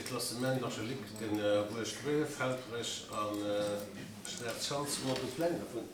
Classement archéologique, den Buerg Gröf, Helperech a Schwaarz Schanz, hu mer do Pläng dervun?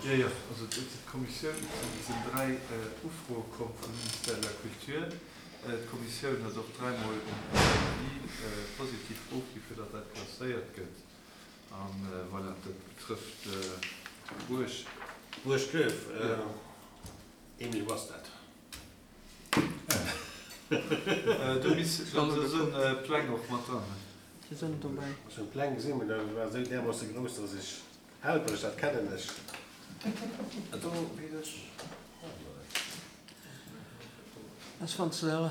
Jo, jo, also d'Kommissioun, et sinn dräi Ufroe komm vum Ministère de la Culture. D'Kommissioun huet och dräimol en Avis positif ofgi fir datt dat klasséiert gëtt. A voilà, dat betrëfft d'Buerg. D'Buerg Gröf, Emile, wou ass dat? Do sinn Pläng och mat dran. Déi sinn dobäi. Ech hunn d'Pläng gesinn, mee dat war esou därmoosse grouss, dass ech, Helperech, dat kennen ech. Do weess ech. Ass wann s de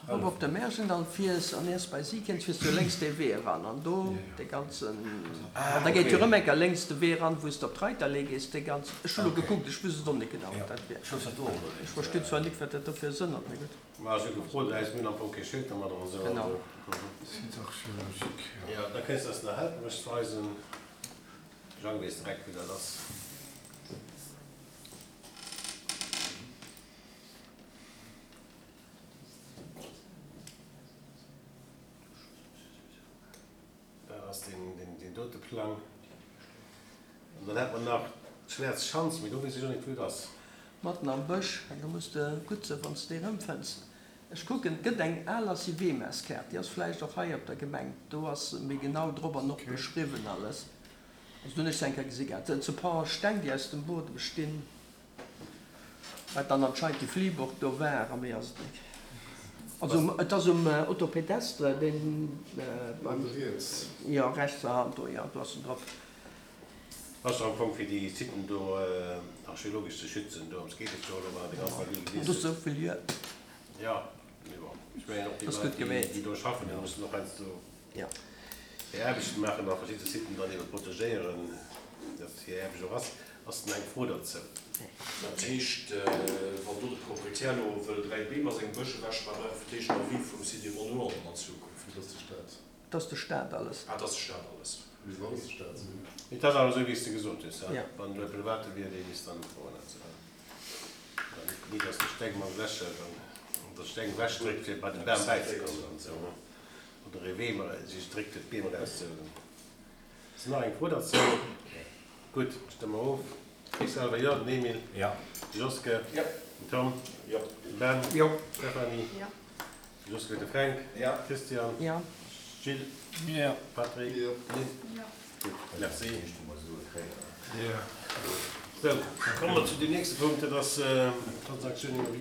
erop op de Märjendall fiers an iers bei si kënns, fiers du jo lénks dee Wee eran an do dee ganzen, an da geet jo erëm eng Kéier lénks de Wee eran, wou s de op d'Reiterlee gees, dee ganzen, ech hu lo gekuckt, ech wusst et och net genau, wat dat wier. Ech verstinn zwar nik, wat dat do fir e Sënn huet, mee gutt. Ma ech hu gefrot, eis mir hunn am Fong kee Schild domadder an esou. Genau. Site archéologique, jo. Jo, da kéints de eis nach Helperech weisen. Jang weess direkt, wou dat ass. Dat ass deen dote Plang. An dann hätt mer nach d'Schwäerz Schanz, mee do weess ech och net, wou et ass. Matten am Bësch, an do muss de gutt sinn, wann s de déi erëmfënns. Ech kucken, et gëtt eng al Acivemas-Kaart, déi ass vläicht och hei op der Gemeng, do ass méi genau drop an och beschriwwen alles. Also do hunn ech se eng Kéier gesi gehat. Et sinn e paar Steng, déi aus dem Buedem stinn. Wat dann anscheinend déi Fliehburg do war, a méi ass et net. Also et ass um Autopédestre, deen beim. Riets. Jo, rechtser Hand do, jo, do ass en drop. Ass jo am Fong fir déi Siten do archeologesch ze schützen, dorëms geet et jo elo, wann der de ganzen Avis gelies hutt. Do ass esou vill Juer. Jo, mee bon, ech mengen och déi Leit, déi do schaffen, déi mussen och heiansdo. Hir Aarbechten maachen a verschidde Siten dann ebe protegéieren, dat hir Aarbecht och ass. Ass nach eng Fro derzou? Dat heescht, wann do de Proprietär elo wëll 3 Beem a sengem Bësch ewechmaachen, brauch e fir d'éischt en Avis vum Site et Monument dann an Zukunft. Dat ass de Staat. Dat ass de Staat alles. Ah, dat ass de Staat alles. Misst alles de Staat sinn. Et ass awer esou, wéi s de gesot hues, wann elo e Private wier, dee misst dann ufroen. Nit, datt de Steng mam Lächer dann de Steng ewechdréckt, fir bei de Bam bäizekommen an esou. Oder ee Wee sech dréckt fir d'Beem erauszehuelen. Ass nach eng Fro derzou? Gutt, stëmme mer of. Ech selwer jo, den Emile. Jo. De Joske. Jo. Den Tom. Jo. Den Ben. Jo. D'Stéphanie. Jo. De Joske, de Fränk. Jo. Christian. Jo. Gilles. Jo. Patrick. Jo. Lynn. Jo. Gutt, merci. Jo. Sou, da komme mer zu deem nächste Punkt, dat ass d'Transaktiounen.